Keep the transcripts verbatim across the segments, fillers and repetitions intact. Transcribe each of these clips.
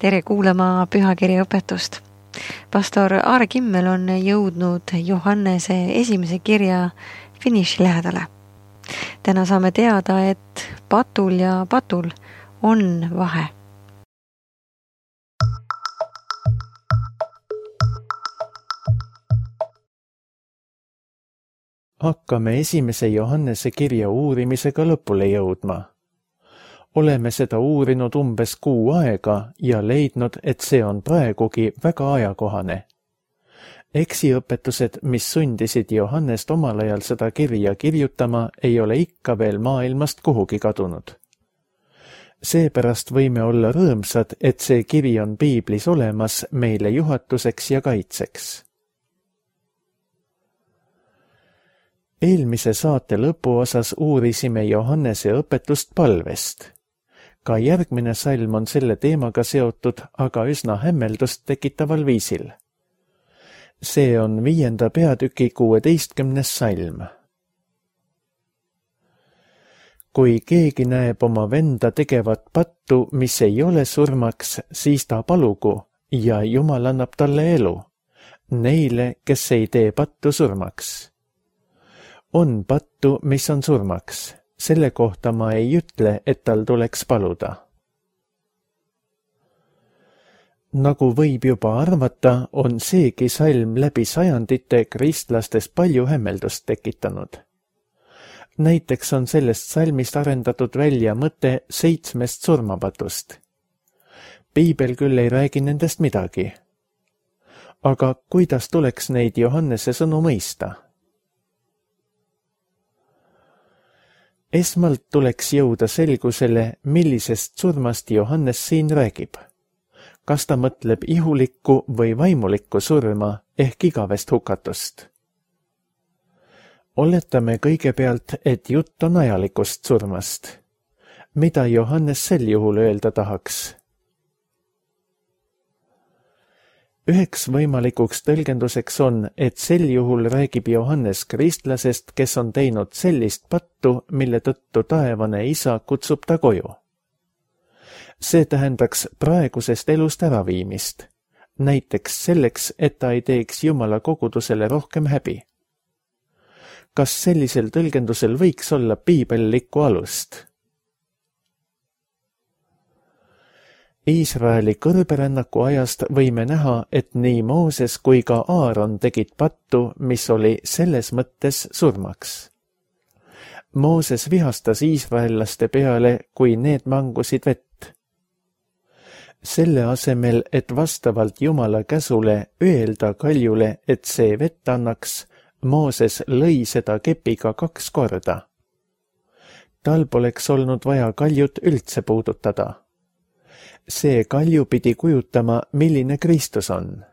Tere kuulama pühakirja õpetust. Pastor Aare Kimmel on jõudnud Johannese esimese kirja finiši lähedale. Täna saame teada, et patul ja patul on vahe. Hakkame esimese Johannese kirja uurimisega lõpule jõudma. Oleme seda uurinud umbes kuu aega ja leidnud, et see on praegugi väga ajakohane. Eksiõpetused, mis sundisid Johannest omal ajal seda kirja kirjutama, ei ole ikka veel maailmast kuhugi kadunud. Seepärast võime olla rõõmsad, et see kiri on piiblis olemas meile juhatuseks ja kaitseks. Eelmise saate lõpuosas uurisime Johannese õpetust palvest. Ka järgmine salm on selle teemaga seotud, aga üsna hämmeldust tekitaval viisil. See on viienda peatüki kuueteistkümnes salm. Kui keegi näeb oma venda tegevat pattu, mis ei ole surmaks, siis ta palugu ja Jumal annab talle elu, neile, kes ei tee pattu surmaks. On pattu, mis on surmaks. Selle kohta ma ei ütle, et tal tuleks paluda. Nagu võib juba arvata, on seegi salm läbi sajandite kristlastes palju hämmeldust tekitanud. Näiteks on sellest salmist arendatud välja mõte seitsmest surmapatust. Piibel küll ei räägi nendest midagi. Aga kuidas tuleks neid Johannese sõnu mõista? Esmalt tuleks jõuda selgusele, millisest surmast Johannes siin räägib. Kas ta mõtleb ihulikku või vaimulikku surma ehk igavest hukatust? Oletame kõigepealt, et jutt on ajalikust surmast. Mida Johannes sel juhul öelda tahaks? Üheks võimalikuks tõlgenduseks on, et sel juhul räägib Johannes kristlasest, kes on teinud sellist pattu, mille tõttu taevane isa kutsub ta koju. See tähendaks praegusest elust äraviimist, näiteks selleks, et ta ei teeks Jumala kogudusele rohkem häbi. Kas sellisel tõlgendusel võiks olla piibellikku alust? Iisraeli kõrberännaku ajast võime näha, et nii Mooses kui ka Aaron tegid pattu, mis oli selles mõttes surmaks. Mooses vihastas iisraellaste peale, kui need mangusid vett. Selle asemel, et vastavalt Jumala käsule öelda kaljule, et see vett annaks, Mooses lõi seda kepiga kaks korda. Tal poleks olnud vaja kaljut üldse puudutada. See kalju pidi kujutama, milline Kristus on.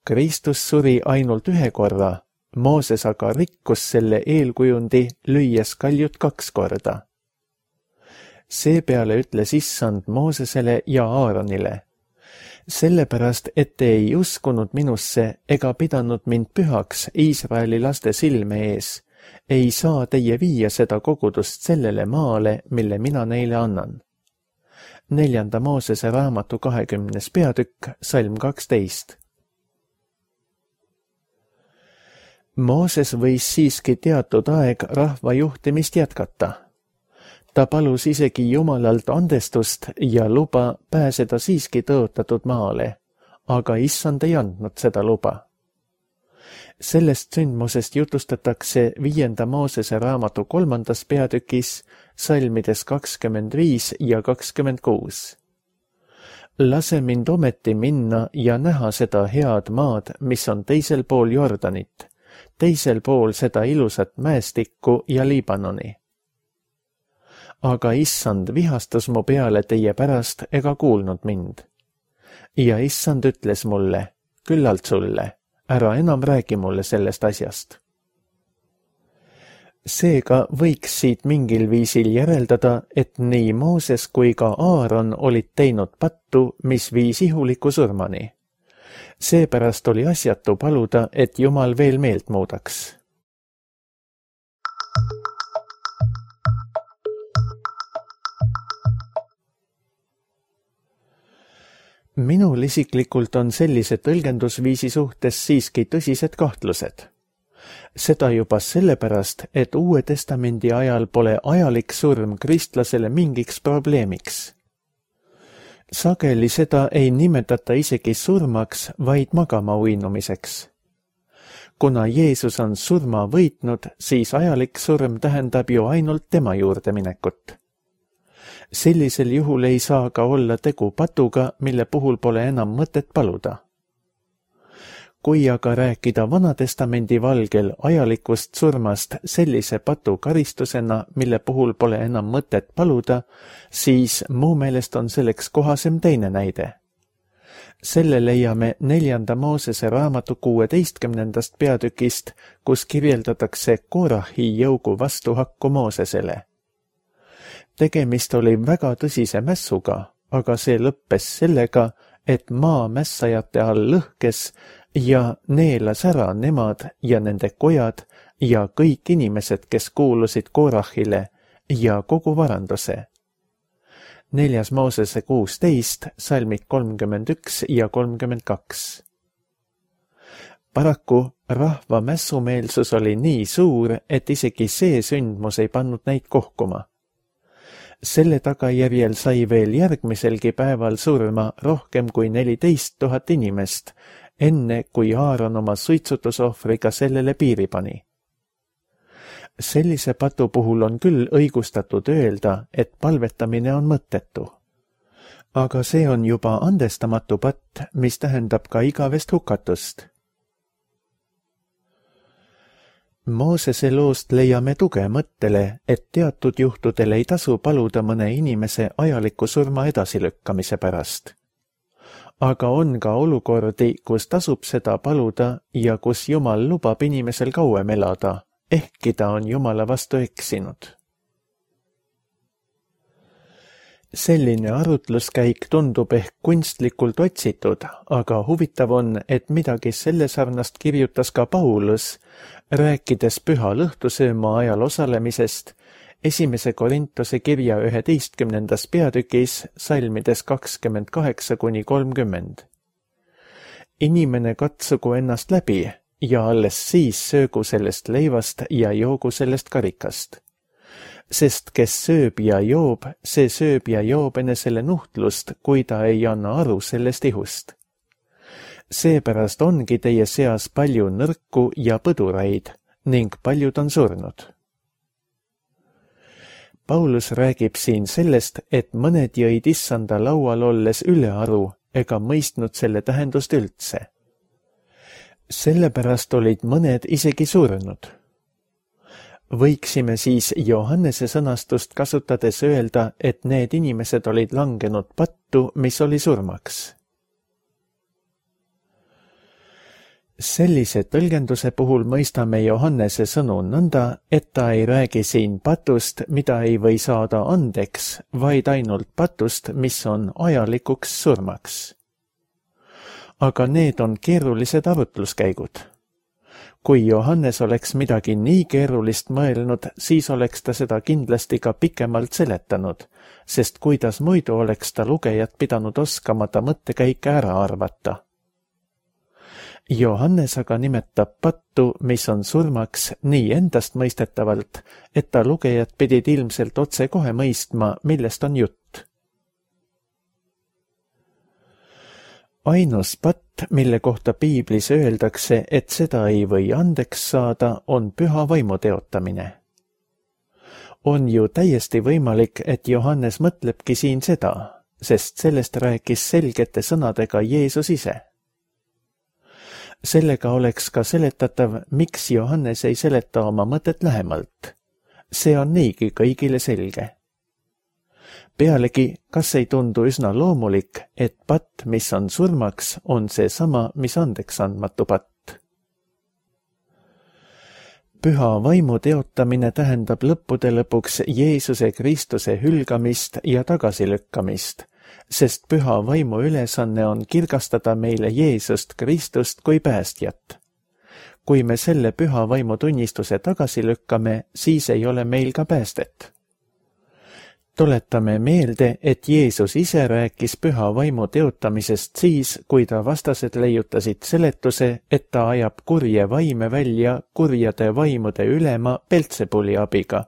Kristus suri ainult ühe korra, Mooses aga rikkus selle eelkujundi, lüües kaljut kaks korda. Seepeale ütles issand Moosesele ja Aaronile: sellepärast, et te ei uskunud minusse ega pidanud mind pühaks Iisraeli laste silme ees, ei saa teie viia seda kogudust sellele maale, mille mina neile annan. Neljanda Moosese raamatu kahekümnes peatükk, salm kaksteist. Mooses võis siiski teatud aeg rahva juhtimist jätkata. Ta palus isegi Jumalalt andestust ja luba pääseda siiski tõotatud maale, aga issand ei andnud seda luba. Sellest sündmusest jutustatakse viienda Moosese raamatu kolmandas peatükis, salmides kakskümmend viis ja kakskümmend kuus. Lase mind ometi minna ja näha seda head maad, mis on teisel pool Jordanit, teisel pool seda ilusat mäestikku ja Liibanoni. Aga issand vihastas mu peale teie pärast ega kuulnud mind. Ja issand ütles mulle: küllalt sulle, ära enam räägi mulle sellest asjast. Seega võiks siit mingil viisil järeldada, et nii Mooses kui ka Aaron olid teinud pattu, mis viis ihuliku surmani. Seepärast oli asjatu paluda, et Jumal veel meelt muudaks. minul isiklikult on sellise tõlgendusviisi suhtes siiski tõsised kahtlused. Seda juba sellepärast, et Uue Testamendi ajal pole ajalik surm kristlasele mingiks probleemiks. Sageli seda ei nimetata isegi surmaks, vaid magama uinumiseks. Kuna Jeesus on surma võitnud, siis ajalik surm tähendab ju ainult tema juurde minekut. Sellisel juhul ei saa ka olla tegu patuga, mille puhul pole enam mõtet paluda. Kui aga rääkida Vanatestamendi valgel ajalikust surmast sellise patu karistusena, mille puhul pole enam mõtet paluda, siis mu meelest on selleks kohasem teine näide. Selle leiame neljanda Moosese raamatu kuueteistkümnendast peatükist, kus kirjeldatakse Korahi jõugu vastuhakku Moosesele. Tegemist oli väga tõsise mässuga, aga see lõppes sellega, et maa mässajate all lõhkes ja neelas ära nemad ja nende kojad ja kõik inimesed, kes kuulusid Korahile ja kogu varanduse. Neljas Moosese kuusteist, salmid kolmkümmend üks ja kolmkümmend kaks. Paraku rahva mässumeelsus oli nii suur, et isegi see sündmus ei pannud neid kohkuma. Selle tagajärjel sai veel järgmiselgi päeval surma rohkem kui neliteist tuhat inimest, enne kui Aaron oma suitsutusohvriga sellele piiri pani. Sellise patu puhul on küll õigustatud öelda, et palvetamine on mõttetu. Aga see on juba andestamatu patt, mis tähendab ka igavest hukatust. Moosese loost leiame tuge mõttele, et teatud juhtudel ei tasu paluda mõne inimese ajaliku surma edasilükkamise pärast. Aga on ka olukordi, kus tasub seda paluda ja kus Jumal lubab inimesel kauem elada, ehkki ta on Jumala vastu eksinud. Selline arutluskäik tundub ehk kunstlikult otsitud, aga huvitav on, et midagi selle sarnast kirjutas ka Paulus, rääkides püha lõhtusööma ajal osalemisest, esimese Korintuse kirja üheteistkümnendas peatükis, salmides kakskümmend kaheksa kuni kolmkümmend. Inimene katsugu ennast läbi ja alles siis söögu sellest leivast ja joogu sellest karikast. Sest kes sööb ja joob, see sööb ja joob enesele nuhtlust, kui ta ei anna aru sellest ihust. Seepärast ongi teie seas palju nõrku ja põduraid ning paljud on surnud. Paulus räägib siin sellest, et mõned jõid issanda laual olles ülearu ega mõistnud selle tähendust üldse. Sellepärast olid mõned isegi surnud. Võiksime siis Johannese sõnastust kasutades öelda, et need inimesed olid langenud pattu, mis oli surmaks. Sellise tõlgenduse puhul mõistame Johannese sõnu nõnda, et ta ei räägi siin patust, mida ei või saada andeks, vaid ainult patust, mis on ajalikuks surmaks. Aga need on keerulised arutluskäigud. Kui Johannes oleks midagi nii keerulist mõelnud, siis oleks ta seda kindlasti ka pikemalt seletanud, sest kuidas muidu oleks ta lugejat pidanud oskama ta mõttekäike ära arvata. Johannes aga nimetab pattu, mis on surmaks, nii endast mõistetavalt, et ta lugejad pidid ilmselt otse kohe mõistma, millest on jutt. Ainus patt, mille kohta piiblis öeldakse, et seda ei või andeks saada, on püha vaimu teotamine. On ju täiesti võimalik, et Johannes mõtlebki siin seda, sest sellest rääkis selgete sõnadega Jeesus ise. Sellega oleks ka seletatav, miks Johannes ei seleta oma mõtet lähemalt. See on niigi kõigile selge. Pealegi, kas ei tundu üsna loomulik, et patt, mis on surmaks, on see sama, mis andeks andmatu patt? Püha vaimu teotamine tähendab lõppude lõpuks Jeesuse Kristuse hülgamist ja tagasilükkamist, sest püha vaimu ülesanne on kirgastada meile Jeesust Kristust kui päästjat. Kui me selle püha vaimu tunnistuse tagasi lükkame, siis ei ole meil ka päästet. Tuletame meelde, et Jeesus ise rääkis püha vaimu teotamisest siis, kui ta vastased leiutasid seletuse, et ta ajab kurje vaime välja kurjade vaimude ülema Beltsebuli abiga.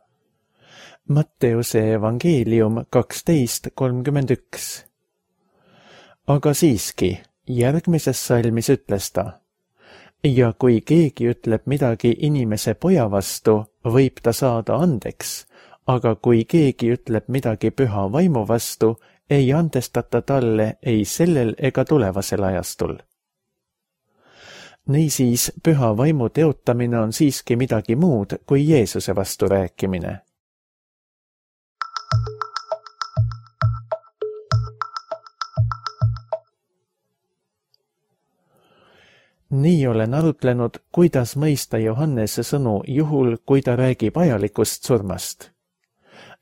Matteuse evangeelium kaksteist kolmkümmend üks. Aga siiski, järgmises salmis ütles ta: ja kui keegi ütleb midagi inimese poja vastu, võib ta saada andeks, aga kui keegi ütleb midagi püha vaimu vastu, ei andestata talle ei sellel ega tulevasel ajastul. Niisiis, püha vaimu teotamine on siiski midagi muud kui Jeesuse vastu rääkimine. Nii olen arutlenud, kuidas mõista Johannese sõnu juhul, kui ta räägib ajalikust surmast.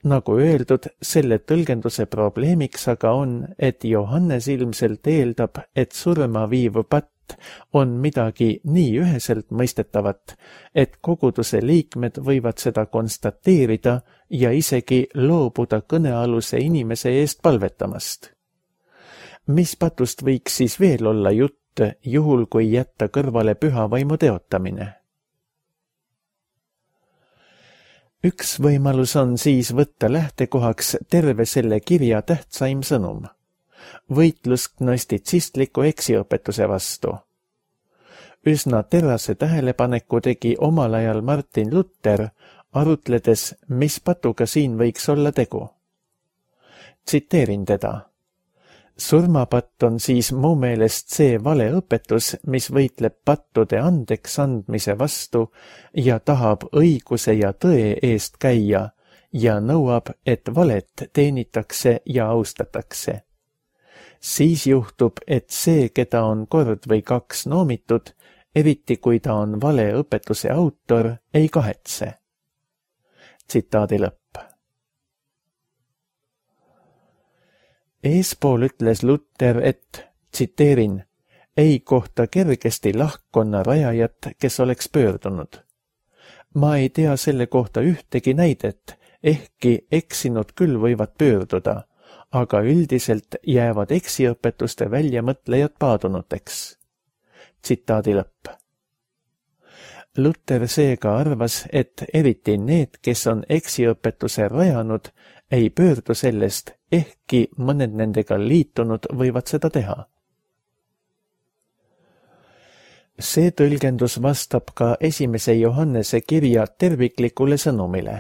Nagu öeldud, selle tõlgenduse probleemiks aga on, et Johannes ilmselt eeldab, et surma viiv patt on midagi nii üheselt mõistetavat, et koguduse liikmed võivad seda konstateerida ja isegi loobuda kõnealuse inimese eest palvetamast. Mis patust võiks siis veel olla jutt, juhul kui jätta kõrvale püha vaimu teotamine? Üks võimalus on siis võtta lähtekohaks terve selle kirja tähtsaim sõnum. Võitlus gnostitsistliku eksiõpetuse vastu. Üsna terase tähelepaneku tegi omal ajal Martin Luther, arutledes, mis patuga siin võiks olla tegu. Tsiteerin teda. Surmapatt on siis mu meelest see valeõpetus, mis võitleb pattude andeks andmise vastu ja tahab õiguse ja tõe eest käia ja nõuab, et valet teenitakse ja austatakse. Siis juhtub, et see, keda on kord või kaks noomitud, eriti kui ta on valeõpetuse autor, ei kahetse. Tsitaadi lõpp. Eespool ütles Luther, et, tsiteerin, ei kohta kergesti lahkkonna rajajat, kes oleks pöördunud. Ma ei tea selle kohta ühtegi näidet, ehkki eksinud küll võivad pöörduda, aga üldiselt jäävad eksiõpetuste väljamõtlejad paadunuteks. Tsitaadi lõpp. Luther seega arvas, et eriti need, kes on eksiõpetuse rajanud, ei pöördu sellest, ehkki mõned nendega liitunud võivad seda teha. See tõlgendus vastab ka esimese Johannese kirja terviklikule sõnumile.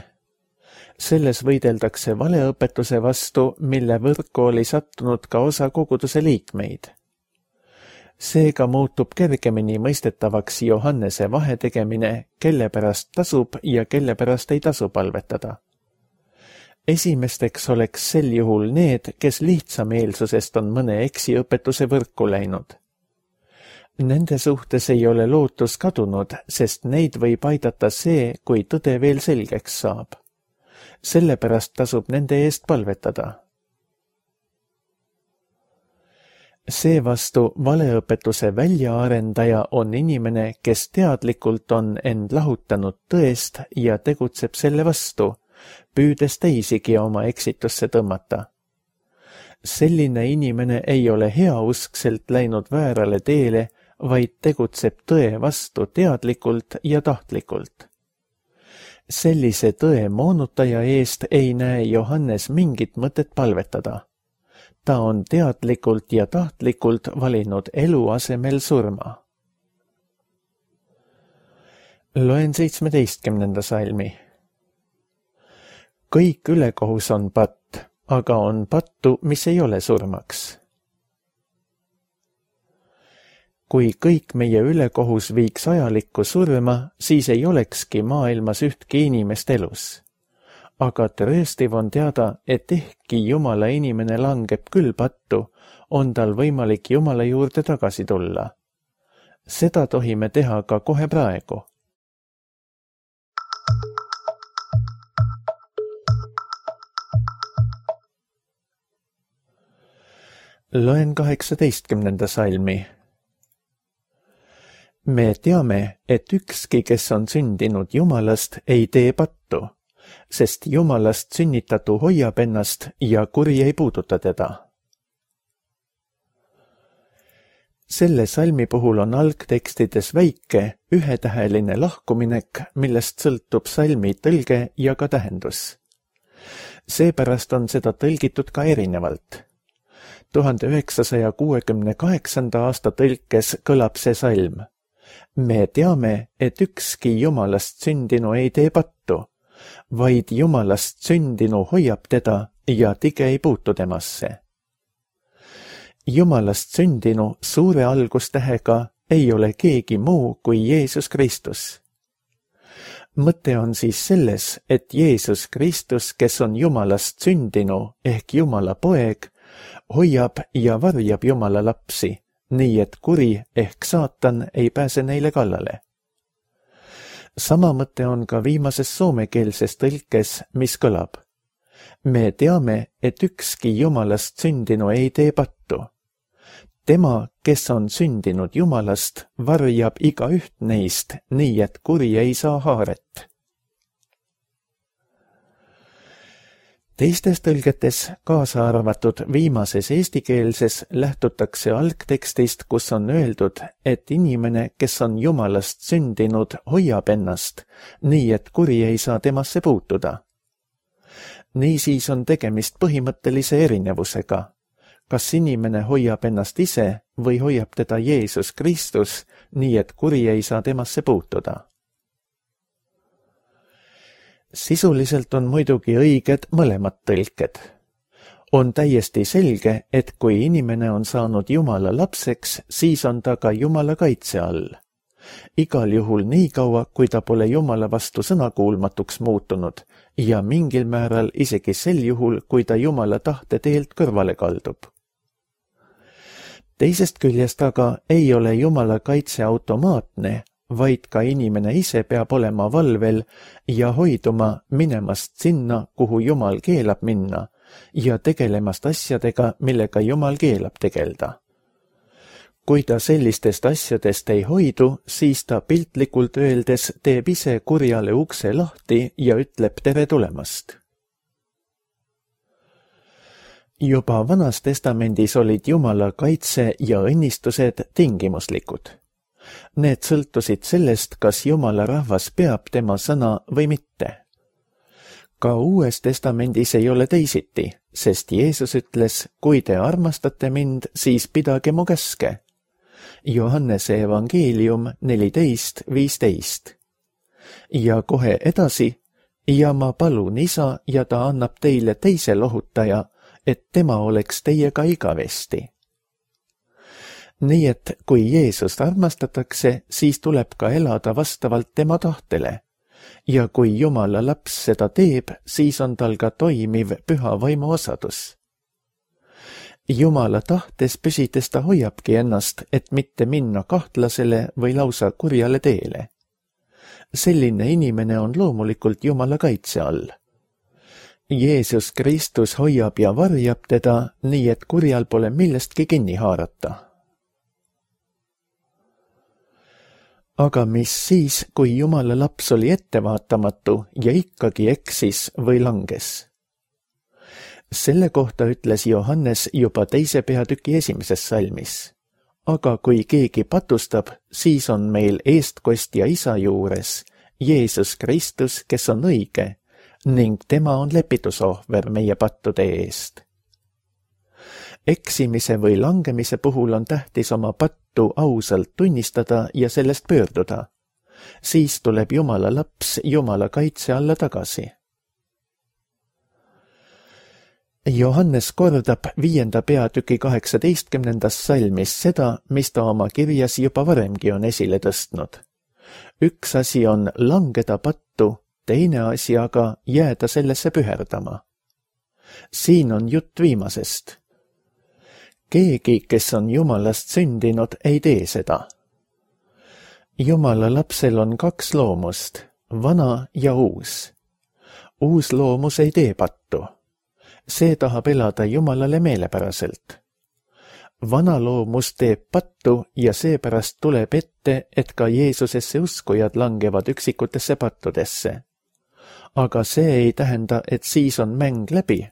Selles võideldakse valeõpetuse vastu, mille võrku oli sattunud ka osa koguduse liikmeid. Seega muutub kergemini mõistetavaks Johannese vahetegemine, kelle pärast tasub ja kelle pärast ei tasu palvetada. Esimesteks oleks sel juhul need, kes lihtsameelsusest on mõne eksiõpetuse võrku läinud. Nende suhtes ei ole lootus kadunud, sest neid võib aidata see, kui tõde veel selgeks saab. Sellepärast tasub nende eest palvetada. Seevastu valeõpetuse väljaarendaja on inimene, kes teadlikult on end lahutanud tõest ja tegutseb selle vastu, püüdes teisigi oma eksitusse tõmmata. Selline inimene ei ole heauskselt läinud väärale teele, vaid tegutseb tõe vastu teadlikult ja tahtlikult. Sellise tõe moonutaja eest ei näe Johannes mingit mõtet palvetada. Ta on teadlikult ja tahtlikult valinud elu asemel surma. Loen seitsmeteistkümnenda salmi. Kõik ülekohus on patt, aga on pattu, mis ei ole surmaks. Kui kõik meie ülekohus viiks ajalikku surma, siis ei olekski maailmas ühtki inimest elus. Aga trööstiv on teada, et ehkki Jumala inimene langeb küll pattu, on tal võimalik Jumala juurde tagasi tulla. Seda tohime teha ka kohe praegu. Loen kaheksateistkümnenda salmi. Me teame, et ükski, kes on sündinud Jumalast, ei tee pattu, sest Jumalast sünnitatu hoiab ennast ja kuri ei puuduta teda. Selle salmi puhul on algtekstides väike, ühetäheline lahkuminek, millest sõltub salmi tõlge ja ka tähendus. Seepärast on seda tõlgitud ka erinevalt. tuhande üheksasaja kuuekümne kaheksanda aasta tõlkes kõlab see salm. Me teame, et ükski Jumalast sündinu ei tee pattu, vaid Jumalast sündinu hoiab teda ja tige ei puutu temasse. Jumalast sündinu suure algustähega ei ole keegi muu kui Jeesus Kristus. Mõte on siis selles, et Jeesus Kristus, kes on Jumalast sündinu ehk Jumala poeg, hoiab ja varjab Jumala lapsi, nii et kuri ehk saatan ei pääse neile kallale. Sama mõte on ka viimases soomekeelses tõlkes, mis kõlab. Me teame, et ükski Jumalast sündinu ei tee pattu. Tema, kes on sündinud Jumalast, varjab igaüht neist, nii et kuri ei saa haaret. Teistes tõlgetes, kaasa arvatud viimases eestikeelses, lähtutakse algtekstist, kus on öeldud, et inimene, kes on Jumalast sündinud, hoiab ennast, nii et kuri ei saa temasse puutuda. Niisiis on tegemist põhimõttelise erinevusega. Kas inimene hoiab ennast ise või hoiab teda Jeesus Kristus, nii et kuri ei saa temasse puutuda? Sisuliselt on muidugi õiged mõlemad tõlked. On täiesti selge, et kui inimene on saanud Jumala lapseks, siis on ta ka Jumala kaitse all. Igal juhul nii kaua, kui ta pole Jumala vastu sõnakuulmatuks muutunud ja mingil määral isegi sel juhul, kui ta Jumala tahte teelt kõrvale kaldub. Teisest küljest aga ei ole Jumala kaitse automaatne, vaid ka inimene ise peab olema valvel ja hoiduma minemast sinna, kuhu Jumal keelab minna ja tegelemast asjadega, millega Jumal keelab tegelda. Kui ta sellistest asjadest ei hoidu, siis ta piltlikult öeldes teeb ise kurjale ukse lahti ja ütleb tere tulemast. Juba Vanas testamendis olid Jumala kaitse ja õnnistused tingimuslikud. Need sõltusid sellest, kas Jumala rahvas peab tema sõna või mitte. Ka Uues testamendis ei ole teisiti, sest Jeesus ütles, kui te armastate mind, siis pidage mu käske. Johannese evangeelium neliteist viisteist. Ja kohe edasi, ja ma palun isa ja ta annab teile teise lohutaja, et tema oleks teiega igavesti. Nii et kui Jeesust armastatakse, siis tuleb ka elada vastavalt tema tahtele. Ja kui Jumala laps seda teeb, siis on tal ka toimiv püha vaimu osadus. Jumala tahtes püsides ta hoiabki ennast, et mitte minna kahtlasele või lausa kurjale teele. Selline inimene on loomulikult Jumala kaitse all. Jeesus Kristus hoiab ja varjab teda, nii et kurjal pole millestki kinni haarata. Aga mis siis, kui Jumala laps oli ettevaatamatu ja ikkagi eksis või langes? Selle kohta ütles Johannes juba teise peatüki esimeses salmis. Aga kui keegi patustab, siis on meil eestkostja isa juures, Jeesus Kristus, kes on õige, ning tema on lepitusohver meie pattude eest. Eksimise või langemise puhul on tähtis oma pattu ausalt tunnistada ja sellest pöörduda. Siis tuleb Jumala laps Jumala kaitse alla tagasi. Johannes kordab viienda peatüki kaheksateistkümnendas salmis seda, mis ta oma kirjas juba varemgi on esile tõstnud. Üks asi on langeda pattu, teine asi aga jääda sellesse püherdama. Siin on jutt viimasest. Keegi, kes on Jumalast sündinud, ei tee seda. Jumala lapsel on kaks loomust, vana ja uus. Uus loomus ei tee pattu. See tahab elada Jumalale meelepäraselt. Vana loomus teeb pattu ja seepärast tuleb ette, et ka Jeesusesse uskujad langevad üksikutesse pattudesse. aga see ei tähenda, et siis on mäng läbi,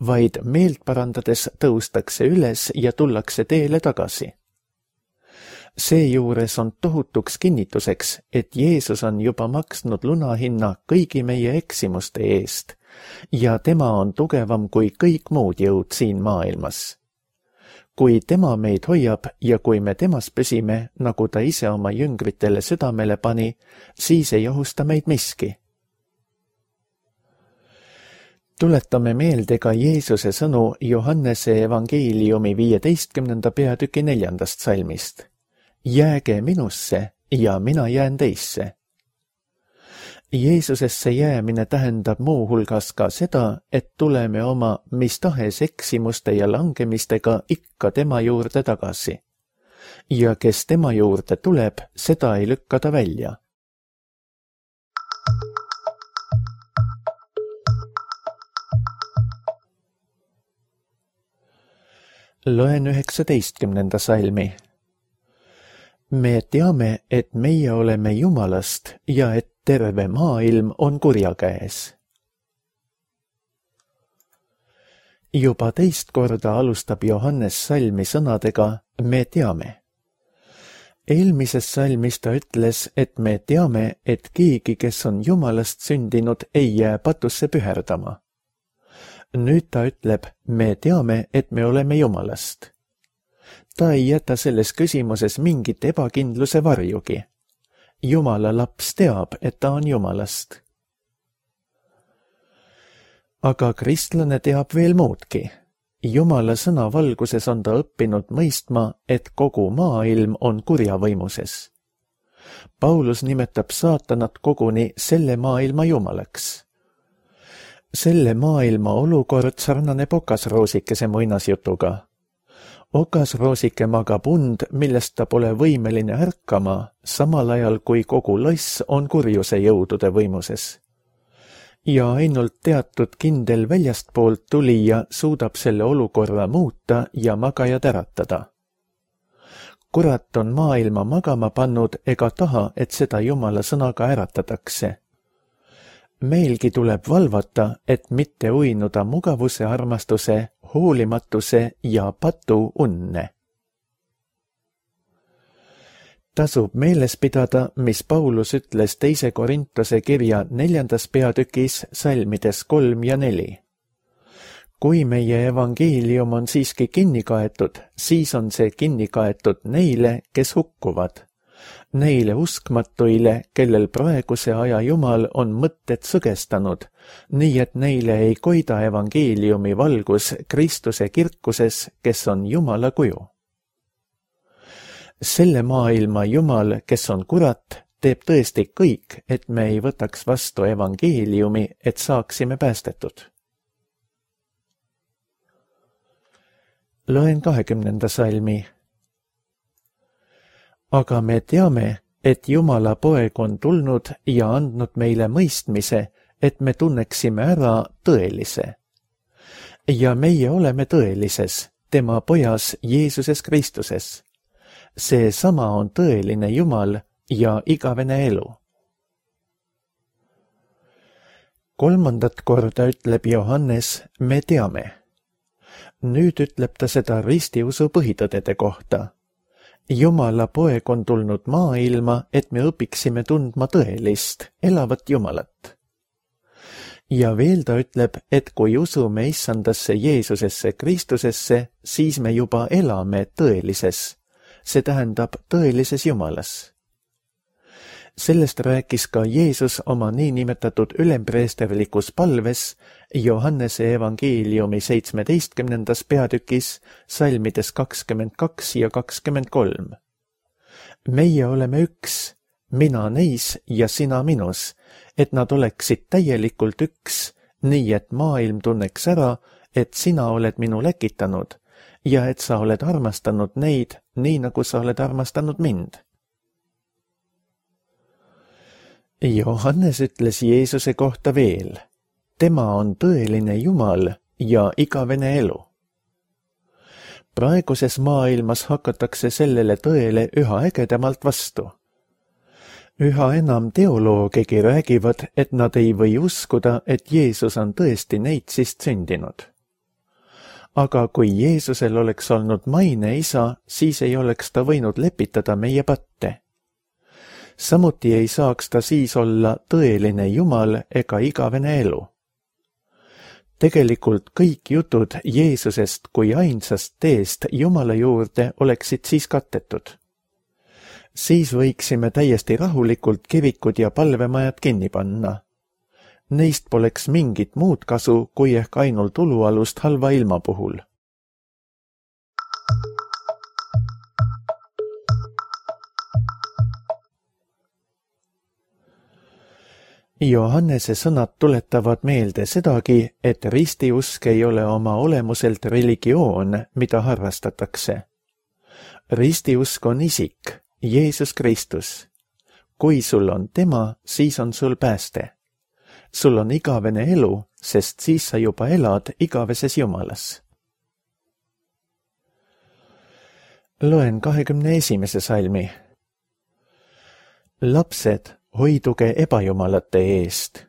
vaid meelt parandades tõustakse üles ja tullakse teele tagasi. Seejuures on tohutuks kinnituseks, et Jeesus on juba maksnud lunahinna kõigi meie eksimuste eest ja tema on tugevam kui kõik muud jõud siin maailmas. Kui tema meid hoiab ja kui me temas püsime, nagu ta ise oma jüngritele südamele pani, siis ei ohusta meid miski. Tuletame meelde ka Jeesuse sõnu Johannese evangeeliumi viieteistkümnenda peatüki neljandast salmist. Jääge minusse ja mina jään teisse. Jeesusesse jäämine tähendab muu hulgas ka seda, et tuleme oma mis tahes eksimuste ja langemistega ikka tema juurde tagasi. Ja kes tema juurde tuleb, seda ei lükka ta välja. Loen üheksateistkümnenda salmi. Me teame, et meie oleme Jumalast ja et terve maailm on kurja käes. Juba teist korda alustab Johannes salmi sõnadega me teame. Eelmises salmis ta ütles, et me teame, et keegi, kes on Jumalast sündinud, ei jää patusse püherdama. Nüüd ta ütleb, me teame, et me oleme Jumalast. Ta ei jäta selles küsimuses mingit ebakindluse varjugi. Jumala laps teab, et ta on Jumalast. Aga kristlane teab veel muudki. Jumala sõna valguses on ta õppinud mõistma, et kogu maailm on kurja võimuses. Paulus nimetab saatanat koguni selle maailma jumalaks. Selle maailma olukord sarnaneb okasroosikese muinasjutuga. Okasroosike magab und, millest ta pole võimeline ärkama, samal ajal kui kogu loss on kurjuse jõudude võimuses. Ja ainult teatud kindel väljastpoolt tulija suudab selle olukorra muuta ja magajad äratada. Kurat on maailma magama pannud ega taha, et seda Jumala sõnaga äratatakse. Meilgi tuleb valvata, et mitte uinuda mugavuse armastuse, hoolimatuse ja patu unne. Tasub meeles pidada, mis Paulus ütles teise Korintuse kirja neljandas peatükis salmides kolm ja neli. Kui meie evangeelium on siiski kinni kaetud, siis on see kinni kaetud neile, kes hukkuvad. Neile uskmatuile, kellel praeguse aja Jumal on mõtted sõgestanud, nii et neile ei koida evangeeliumi valgus Kristuse kirkuses, kes on Jumala kuju. Selle maailma Jumal, kes on kurat, teeb tõesti kõik, et me ei võtaks vastu evangeeliumi, et saaksime päästetud. Loen kahekümnenda salmi. Aga me teame, et Jumala poeg on tulnud ja andnud meile mõistmise, et me tunneksime ära tõelise. Ja meie oleme tõelises, tema pojas Jeesuses Kristuses. See sama on tõeline Jumal ja igavene elu. Kolmandat korda ütleb Johannes, me teame. Nüüd ütleb ta seda ristiusu põhitõdede kohta. Jumala poeg on tulnud maailma, et me õpiksime tundma tõelist, elavat Jumalat. Ja veel ta ütleb, et kui usume issandasse Jeesusesse Kristusesse, siis me juba elame tõelises, see tähendab tõelises Jumalas. Sellest rääkis ka Jeesus oma niinimetatud ülempreesterlikus palves Johannese evangeeliumi seitsmeteistkümnendas peatükis salmides kakskümmend kaks ja kakskümmend kolm. Meie oleme üks, mina neis ja sina minus, et nad oleksid täielikult üks, nii et maailm tunneks ära, et sina oled minu läkitanud ja et sa oled armastanud neid, nii nagu sa oled armastanud mind. Johannes ütles Jeesuse kohta veel, tema on tõeline Jumal ja igavene elu. Praeguses maailmas hakatakse sellele tõele üha ägedamalt vastu. Üha enam teoloogegi räägivad, et nad ei või uskuda, et Jeesus on tõesti neitsist sündinud. Aga kui Jeesusel oleks olnud maine isa, siis ei oleks ta võinud lepitada meie patte. Samuti ei saaks ta siis olla tõeline Jumal ega igavene elu. Tegelikult kõik jutud Jeesusest kui ainsast teest Jumala juurde oleksid siis kattetud. Siis võiksime täiesti rahulikult kirikud ja palvemajad kinni panna. Neist poleks mingit muud kasu, kui ehk ainult ulualust halva ilma puhul. Johannese sõnad tuletavad meelde sedagi, et ristiusk ei ole oma olemuselt religioon, mida harrastatakse. Ristiusk on isik, Jeesus Kristus. Kui sul on tema, siis on sul pääste. Sul on igavene elu, sest siis sa juba elad igaveses Jumalas. Loen kahekümne esimese salmi. Lapsed, hoiduge ebajumalate eest.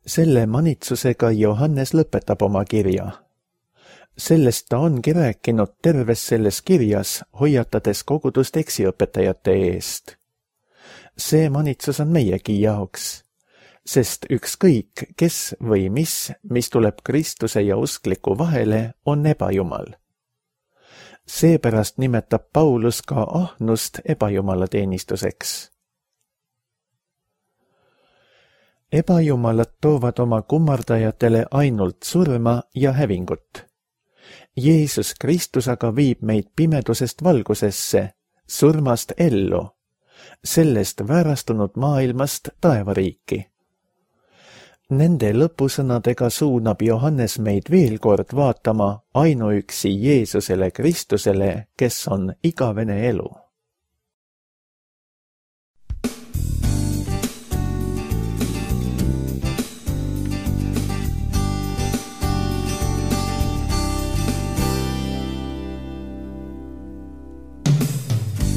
Selle manitsusega Johannes lõpetab oma kirja. Sellest ta ongi rääkinud terves selles kirjas, hoiatades kogudust eksiõpetajate eest. See manitsus on meiegi jaoks, sest ükskõik, kes või mis, mis tuleb Kristuse ja uskliku vahele, on ebajumal. Seepärast nimetab Paulus ka ahnust ebajumala teenistuseks. Ebajumalad toovad oma kummardajatele ainult surma ja hävingut. Jeesus Kristus aga viib meid pimedusest valgusesse, surmast ellu, sellest väärastunud maailmast taevariiki. Nende lõpusõnadega suunab Johannes meid veel kord vaatama ainuüksi Jeesusele Kristusele, kes on igavene elu.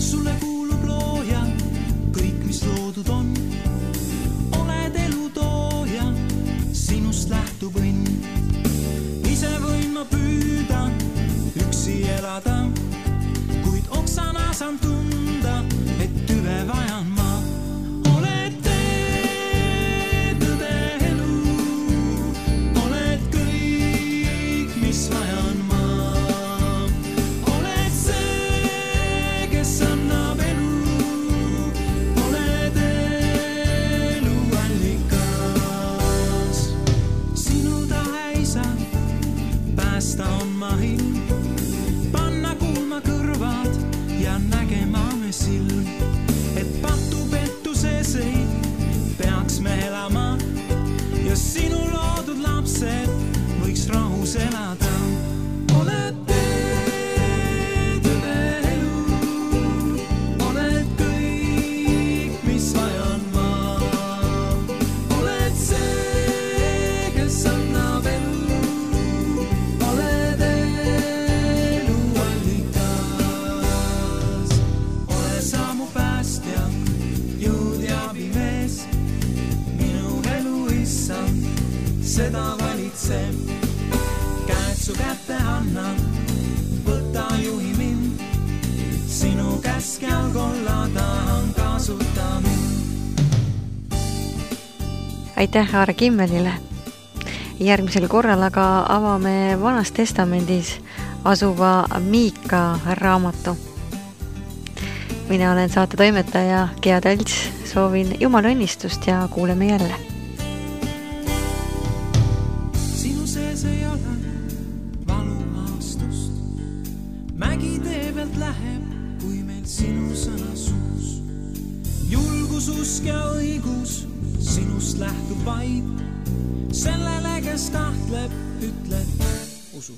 Sulle kuulub looja, kõik mis loodud on. Oled elu tooja, sinust lähtub õnn. Ise võin ma püüda, üksi elada, kuid oksana saan tunda, et tüve vajan ma. Oled tee, tõde elu, oled kõik, mis vajan ma. Oled see, kes annab elu, oled elu allikas. Sinu tahe isa, päästa on mahil, panna kuulma kõrvad ja nägema me silm, et patu pettuses ei peaks me elama ja sinu loodud lapsed võiks rahus elada. Oled tee, tõde elu, oled kõik, mis vajan ma. Oled see, kes annab elu, oled elu allikas. Ole sa mu päästja, jõud ja abimees, minu elu issand, seda valitseb. Käed su kätte annan, võta juhi mind, sinu käskjal kollada on kasuta mind. Aitäh Aare Kimmelile. Järgmisel korral aga avame Vanas Testamendis asuva Miika raamatu. Mina olen saate toimetaja Gea Talts, soovin Jumala õnnistust ja kuuleme jälle. Sinu sees ei ole valuhaastust, mägi tee pealt läheb, kui meil sinu sõna suus. Julgus, usk ja õigus sinust lähtub vaid, sellele, kes tahtleb, ütleb usu.